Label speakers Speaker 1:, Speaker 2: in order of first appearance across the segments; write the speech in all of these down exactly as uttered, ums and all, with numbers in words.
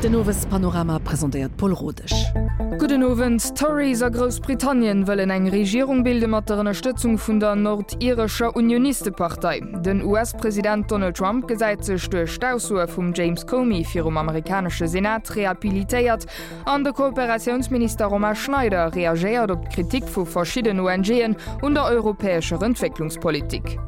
Speaker 1: Den Owespanorama presentéiert Paul Rodesch.
Speaker 2: Gudden Owend. D'Tories a Groussbritannien wëllen eng Regierung bilde mat der Ënnerstëtzung vun der nordirescher Unionistepartei. Den U S-President Donald Trump gesäit sech duerch d'Aussoe vum James Comey virum amerikanesche Senat rehabilitéiert an de Kooperatiounsminister Romain Schneider reagéiert op d'Kritik vu verschiddenen O N G'en un der europäescher Entwécklungspolitik.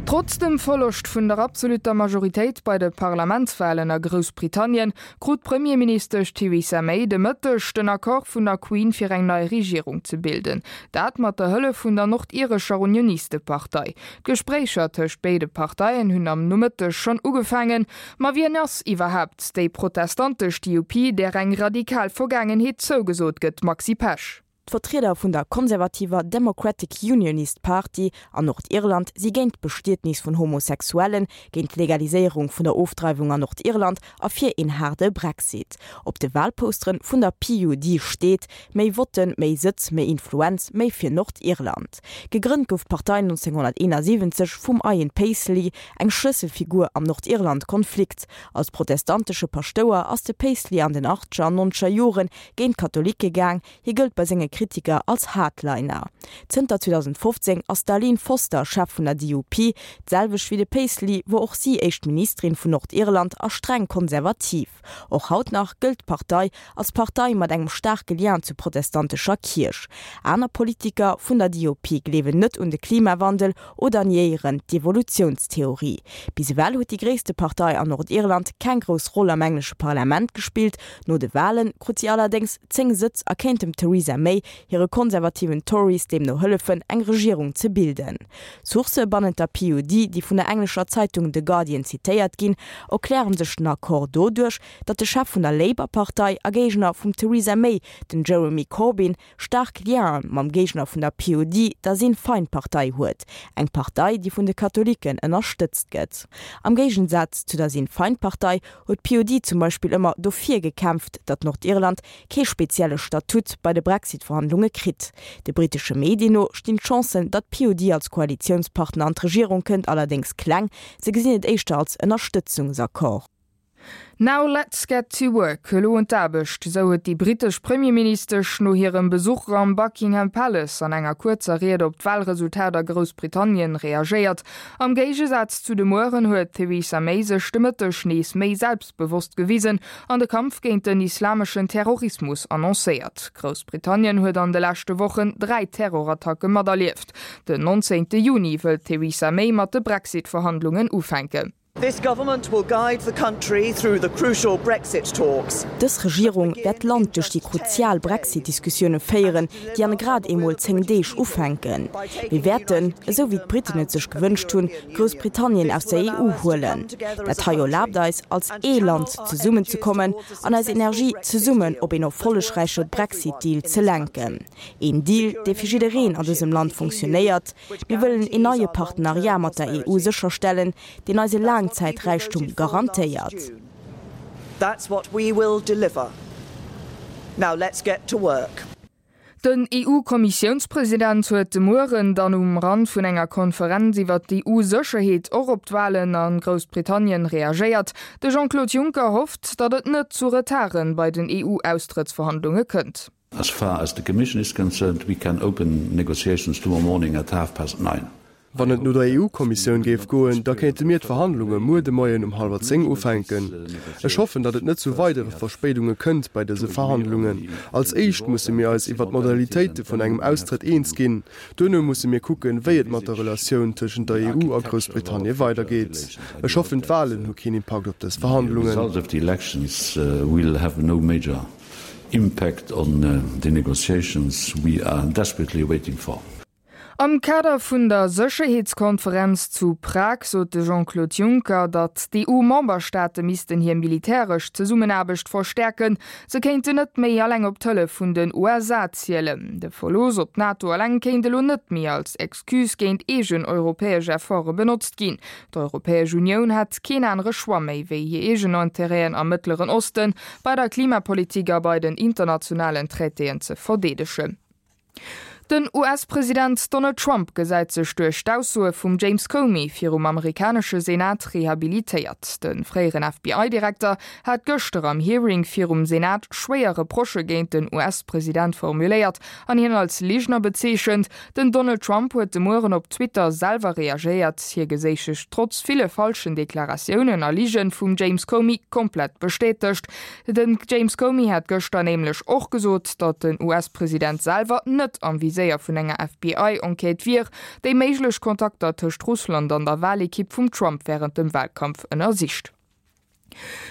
Speaker 2: Trotz dem Verloscht vun der absolutter Majoritéit bei de Parlamentswalen a Groussbritannien krut d'Premierministesch Theresa May de Mëtteg den Accord vun der Queen fir eng nei Regierung ze bilden. Dat mat der Hëllef vun der nordirescher Unionistepartei. D'Gespréicher tëscht béide Parteien hunn am Nomëtteg schonn ugefaangen, ma wien ass iwwerhaapt déi protestantesch D U P, där eng radikal Vergaangenheet zougesot gëtt, Maxi Pesch?
Speaker 3: D'Vertrieder vun der konservativer Democratic Unionist Party an Nordirland si géint d'Bestietnis vun Homosexuellen, géint d'Legaliséierung vun der Ofdreiwung an Nordirland a fir een haarde Brexit. Op de Walposteren vun der P U D steet: Méi Votten, méi Sëtz, méi Influenz, méi fir Nordirland. Gegrënnt gouf d'Partei nonzénghonnerteenasiwwenzeg vum Ian Paisley, eng Schlësselfigur am Nordirland-Konflikt. Als protestantesche Paschtouer ass de Paisley an den achtzeger an nonzeger Jore géint d'Katholike gaang, hie gëllt bei senge Kritiker als Hardliner. Zënter zweedausendfofzéng ass d'Arlene Foster Chef vun der D U P, d'selwecht wéi de Paisley wor och si éischt Ministerin vun Nordirland a streng konservativ. Och haut nach gëllt d'Partei als Partei mat engem staarke Lien zur protestantescher Kierch. Aner Politiker vun der D U P gleewen net un de Klimawandel oder niéieren d'Evolutiounstheorie. Bis ewell huet déi gréisste Partei an Nordirland keng grouss Roll am englesche Parlament gespillt, no de Wale krut si allerdéngs zéng Sëtz a kéint dem Theresa May hire konservativen Tories deemno hëllefen, eng Regierung ze bilden. Sourcë bannent der P U D, déi vun der englescher Zeitung The Guardian zitéiert ginn, erklären sech den Accord doduerch, datt de Chef vun der Labour-Partei a Géigner vum Theresa May, den Jeremy Corbyn, staark Liene mam Géigner vun der P U D, der Sinn Féin-Partei huet, eng Partei, déi vun de Katholiken ënnerstëtzt gëtt. Am Géigesaz zu der Sinn Féin-Partei huet d'P U D zum Beispill ëmmer dofir gekämpft, datt Nordirland kee spezielle Statut bei de Brexit-Verhandlunge kritt. De brittesche Medien no stinn d'Chancen, datt d'P U D als Koalitiounspartner an d'Regierung kënnt, allerdéngs kleng, se gesinn et éischter als Ënnerstëtzungsaccord.
Speaker 2: Now let's get to work, elo un d'Aarbecht, sou huet déi brittesch Premierministesch no hirem Besuch am Buckingham Palace an enger kuerzer Ried op d'Walresultat a Groussbritannien reagéiert. Am Géigesaz zu de Mueren huet Theresa May sech de Mëtteg nees méi selbstbewosst gewisen an de Kampf géint den islameschen Terrorismus annoncéiert. Groussbritannien huet an de leschte Wochen dräi Terrorattacke materlieft. Den nonzéngte Juni wëll Theresa May mat de Brexit-Verhandlungen ufänken.
Speaker 4: This government will guide the country through the crucial Brexit talks.
Speaker 3: Dës Regierung wäert d'Land duerch déi kruzial Brexit-Diskussioune féieren, déi an grad emol zéng Deeg ufänken. Mir wäerten, esou wéi d'Britten et sech gewënscht hunn, Groussbritannien aus der E U huelen. Dat hei erlaabt eis, als ee Land zesummenzekommen an eis Energie zesummen op een erfollegräiche Brexit-Deal ze lenken. Een Deal, dee fir jiddereen an dësem Land funktionéiert. Mir wëllen een neie Partenariat mat der E U sécherstellen, deen eise Laangzäiträichtum garantéiert.
Speaker 4: That's what we will deliver. Now let's get to work.
Speaker 2: Den E U-Kommissiounspresident huet de Mueren dann um Rand vun enger Konferenz iwwer d'E U-Sécherheet och op d'Walen a Groussbritannien reagéiert. De Jean-Claude Juncker hofft, datt et net zu Retarde bei den E U-Austrëttsverhandlunge kënnt.
Speaker 5: As far as the Commission is concerned, we can open negotiations tomorrow morning at half past nine.
Speaker 6: Wann et no der E U-Kommissioun géif goen, da kéinte mir d'Verhandlunge muer de Moien um hallwer zéng ufänken. Ech hoffen, datt et net zu weidere Verspéidunge kënnt bei dëse Verhandlungen. Als éischt musse mir eis iwwer d'Modalitéite vun engem Austrëtt eens ginn. Duerno musse mir kucken, wéi et mat der Relatioun tëschent der E U a Groussbritannie weidergeet. Ech hoffen, d'Walen hu keen Impakt op dës
Speaker 5: The
Speaker 6: Verhandlungen.
Speaker 5: Result of the elections uh, will have no major impact on uh, the negotiations we are desperately waiting for.
Speaker 2: Am Kader vun der Sécherheetskonferenz zu Prag sot de Jean-Claude Juncker, datt d'E U-Memberstaate missten hir militäresch Zesummenaarbecht verstäerken, se kéinten net méi eleng op d'Hëllef vun den U S A zielen. De Verlooss op d'NATO eleng kéint elo net méi als Excuse géint eegen europäesch Efforte benotzt ginn. D'Europäesch Unioun hätt keen anere Choix méi wéi hir eegen Interêten am Mëttleren Osten bei der Klimapolitik a bei den internationalen Traitéen ze verdeedegen. Den US-President Donald Trump gesäit sech duerch d'Aussoe vum James Comey virum amerikanesche Senat rehabilitéiert. De fréieren FBI-Direkter hat gëschter am Hearing virum Senat schwéier Reprochë géint den US-President formuléiert an hien als Ligener bezeechent. Den Donald Trump huet de Mueren op Twitter selwer reagéiert, hie geséich sech trotz ville falschen Deklaratiounen a Lige vum James Comey komplett bestätegt. Den James Comey hat gëschter nämlech och gesot, datt den US-President selwer net am Viséier vun enger FBI-Enquête wier, déi méiglech Kontakter tëscht Russland an der Walekipp vum Trump wärend dem Walkampf ënnersicht.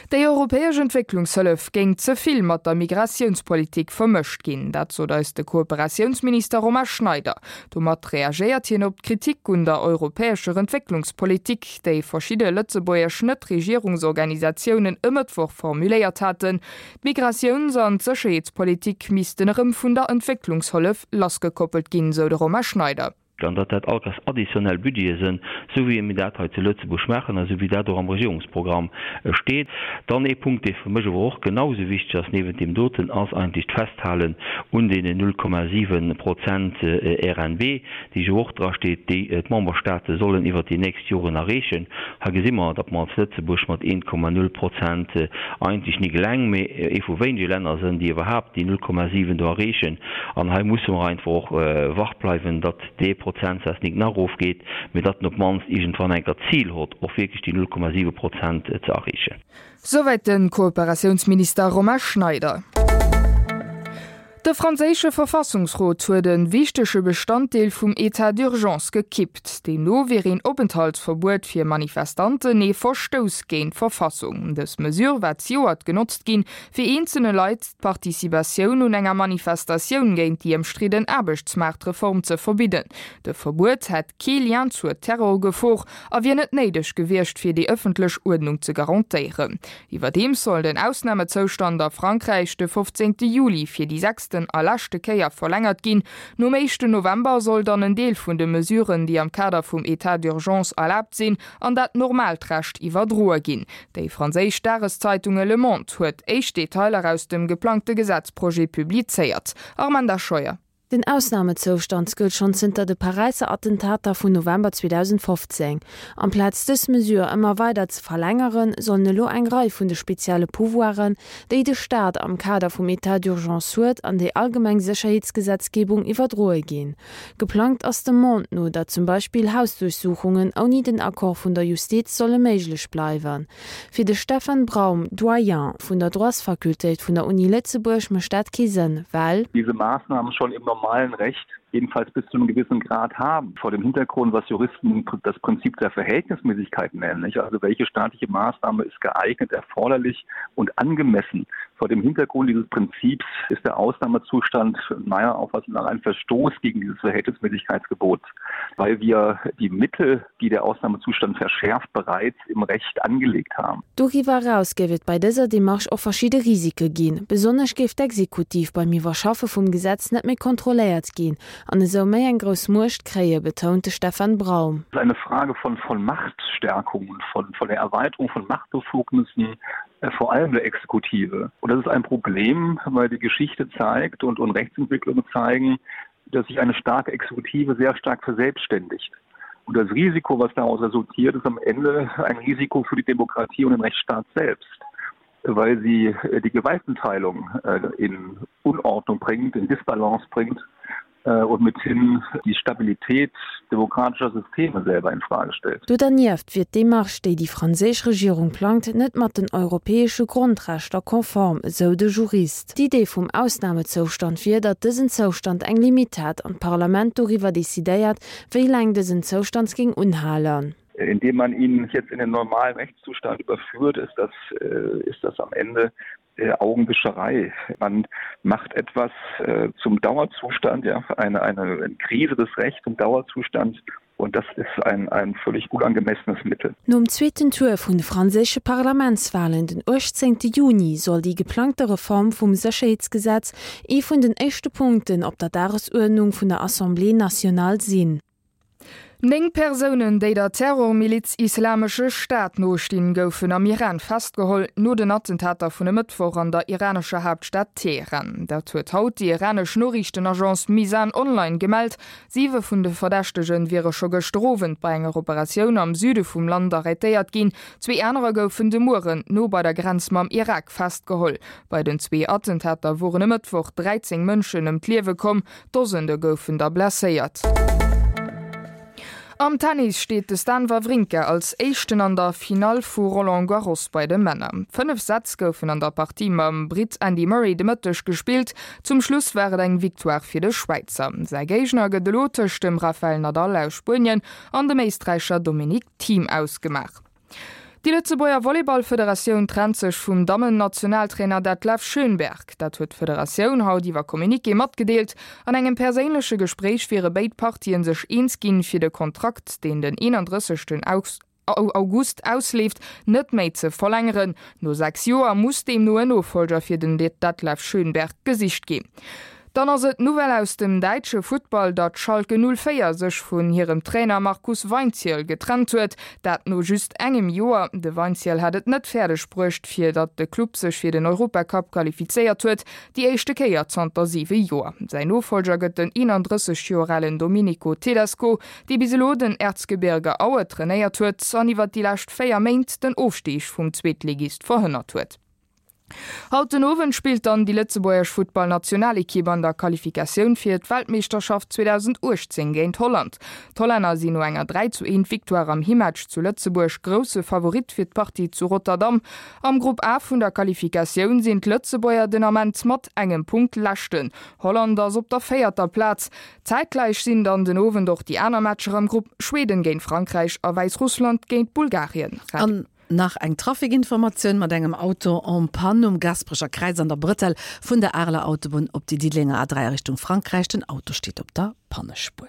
Speaker 2: Déi europäesch Entwécklungshëllef géing ze vill mat der Migratiounspolitik vermëscht ginn, dat sot eis de Kooperatiounsminister Romain Schneider. Domat reagéiert hien op d'Kritik un der europäescher Entwécklungspolitik, déi verschidde lëtzebuergesch Net-Regierungsorganisatiounen e Mëttwoch formuléiert haten. D'Migratiouns an d'Sécherheetspolitik missten erëm vun der Entwécklungshëllef lassgekoppelt ginn, sou de Romain Schneider.
Speaker 7: An datt dat allkéiers additionnel Budgete sinn, sou wéi mir dat hei zu Lëtzebuerg maachen a sou wéi dat och am Regierungsprogramm steet. Dann ee Punkt, dee fir mech awer och genau sou wichteg ass niewent deem doten, ass eigentlech d'Festhalen un deenen null Komma siwen Prozent RNB, déi jo och drasteet, déi d'Memberstaate sollen iwwert déi nächst Joren erreechen. Hei gesi mer, datt mer als Lëtzebuerg mat een Komma null Prozent eigentlech nik eleng, mee ee vu wéinege Länner sinn, déi iwwerhaapt déi null Komma siwen do erreechen. An hei musse mer einfach och wach bleiwen, datt dee Prozentsaz nik nach erofgeet, mee datt en op d'mannst iergendwann eng Kéier d'Zil hott, och wierklech déi null Komma siwe Prozent ze erreechen.
Speaker 2: Souwäit de Kooperatiounsminister Romain Schneider. De franséische Verfassungsrot huet e wichtege Bestanddeel vum État d'urgence gekippt. Deemno wier een Openthaltsverbuet fir Manifestanten ee Verstouss géint d'Verfassung. Dës Mesure war zejoert genotzt ginn, fir eenzelne Leit d'Participatioun un enger Manifestatioun géint déi ëmstridden Aarbechtsmaartreform ze verbidden. De Verbuet hätt kee Lien zur Terrorgefor a wier net néideg gewiescht, fir déi ëffentlech Uerdnung ze garantéieren. Iwwerdeems soll den Ausnamezoustand a Frankräich de fofzéngte Juli fir déi sechsten a leschte Kéier verlängert ginn. Nom éischten November soll dann en Deel vun de Mesuren, déi am Kader vum État d'urgence erlaabt sinn, an dat normaalt Recht iwwerdroe ginn. Déi franséisch Dageszeitunge Le Monde huet éischt Detailer aus dem geplangte Gesetzprojet publizéiert. Armanda Scheuer.
Speaker 8: Den Ausnamezoustand gëllt schonn zënter de Paräisser Attentater vun November zweedausendfofzéng. Amplaz dës Mesure ëmmer weider ze verlängeren, sollen elo eng Rei vun de spezielle Pouvoiren, déi de Staat am Kader vum État d'urgence huet, an déi allgemeng Sécherheetsgesetzgebung iwwerdroe ginn. Geplangt ass dem Monde no, datt zum Beispill Hausduerchsuchungen ouni den Accord vun der Justiz solle méiglech bleiwen. Fir de Stefan Braum, Doyen vun der Droitsfakultéit vun der Uni Lëtzebuerg, mécht dat kee Sënn, well.
Speaker 9: Diese Maßnahmen schon im normalen Recht jedenfalls bis zu einem gewissen Grad haben. Vor dem Hintergrund, was Juristen das Prinzip der Verhältnismäßigkeit nennen, nicht? Also welche staatliche Maßnahme ist geeignet, erforderlich und angemessen. Vor dem Hintergrund dieses Prinzips ist der Ausnahmezustand meiner Auffassung nach ein Verstoß gegen dieses Verhältnismäßigkeitsgebot, weil wir die Mittel, die der Ausnahmezustand verschärft, bereits im Recht angelegt haben.
Speaker 8: Doriwwer eraus géif et bei dëser Demarche och verschidde Risike ginn. Besonnesch géif d'Exekutiv beim Iwwerschaffe vum Gesetz net méi kontrolléiert ginn an esou méi eng grouss Muecht kréien, betount de Stefan Braum.
Speaker 9: Es ist eine Frage von, von Machtstärkung und von, von der Erweiterung von Machtbefugnissen, vor allem der Exekutive. Und das ist ein Problem, weil die Geschichte zeigt und, und Rechtsentwicklungen zeigen, dass sich eine starke Exekutive sehr stark verselbstständigt. Und das Risiko, was daraus resultiert, ist am Ende ein Risiko für die Demokratie und den Rechtsstaat selbst, weil sie die Gewaltenteilung in Unordnung bringt, in Disbalance bringt und mithin die Stabilität demokratischer Systeme selber in Frage stellt.
Speaker 8: Do dernieft wier d'Demarche, déi déi franséisch Regierung plangt, net mat den europäesche Grondrechter konform, esou de Jurist. D'Idee vum Ausnamezoustand wier, datt dësen Zoustand eng Limitt hätt an d'Parlament doriwwer decidéiert, wéi laang dësen Zoustand géing unhalen.
Speaker 9: Indem man ihn jetzt in den normalen Rechtszustand überführt, ist das, ist das am Ende Augenwischerei. Man macht etwas zum Dauerzustand, ja, eine, eine Krise des Rechts zum Dauerzustand, und das ist ein, ein völlig unangemessenes Mittel.
Speaker 8: Nom zweeten Tour vun de franséische Parlamentswalen den uechtzéngte Juni soll déi geplangte Reform vum Sécherheetsgesetz ee vun den éischte Punkten op der Dagesuerdnung vun der Assemblée nationale sinn.
Speaker 2: Néng Persounen, déi der Terrormiliz Islamesche Staat nostinn, goufen am Iran festgeholl, no den Attentater vun e Mëttwoch an der iranescher Haaptstad Teheran. Dat huet haut déi iranesch Noriichtenagence Mizan Online gemellt. Siwe vun de Verdächtege wiere scho gëschter Owend bei enger Operatioun am Süde vum Land arrêtéiert ginn. Zwee anerer goufen de Mueren no bei der Grenz mam Irak festgeholl. Bei den zwee Attentater woren e Mëttwoch dräizéng Mënschen ëm d'Liewe komm, Dosende goufen der blesséiert. Am Tennis steet de Stan Wawrinka als Éischten an der Finall vu Roland Garros bei de Männer. Fënnef Sätz goufen an der Partie mam Britt Andy Murray de Mëtteg gespillt. Zum Schluss war et eng Victoire fir de Schwäizer. Säi Géigner gëtt elo tëscht dem Rafael Nadal aus Spuenien an dem Éisträicher Dominic Thiem ausgemaach. Déi Lëtzebuerger Volleyballfederatioun trennt sech vum Dammen-Nationaltrainer Detlef Schönberg. Dat huet d'Federatioun haut iwwer Communiqué matgedeelt. An engem perséinleche Gespréich wiere béid Partien sech eens ginn, fir de Kontrakt, deen den eenandrësseg August ausleeft, net méi ze verlängeren. No sechs Joer muss deemno en Nofollger fir den Detlef Schönberg gesicht ginn. Dann ass et d'Nouvelle aus dem däitsche Futtball, datt Schalke null véier sech vun hirem Trainer Markus Weinzierl getrennt huet. Dat no just engem Joer. De Weinzierl hat et net fäerdeg bruecht, fir datt de Club sech fir den Europacup qualifizéiert huet, déi éischte Kéier zanter siwe Joer. Säin Nofollger gëtt den eenandrësseg Joer alen Domenico Tedesco, dee bis elo den Erzgebirge Aue trainéiert huet an iwwer déi lescht véier Méint den Ofstig vum Zweetligist verhënnert huet. Haut den Owend spillt dann déi lëtzebuergesch Futtballnationalekipp an der Qualifikatioun fir d'Weltmeeschterschaft zweedausendachtzéng géint Holland. D'Hollänner sinn no enger dräi zu eent Victoire am Himmatch zu Lëtzebuerg grousse Favorit fir d'Partie zu Rotterdam. Am Grupp A vun der Qualifikatioun sinn d'Lëtzebuerger den Ament mat engem Punkt Leschten. Holland ass op der véierter Plaz. Zäitgläich sinn dann den Owend och déi aner Matcher am Grupp, Schweden géint Frankräich a Wäissrussland géint Bulgarien.
Speaker 1: An nach eng Trafikinformatioun mat engem Auto en panne um Gasperecher Kräiz an der Brëtell vun der Areler Autobunn op déi Diddelenger A dräi a Richtung Frankräich. Den Auto steet op der Pannespuer.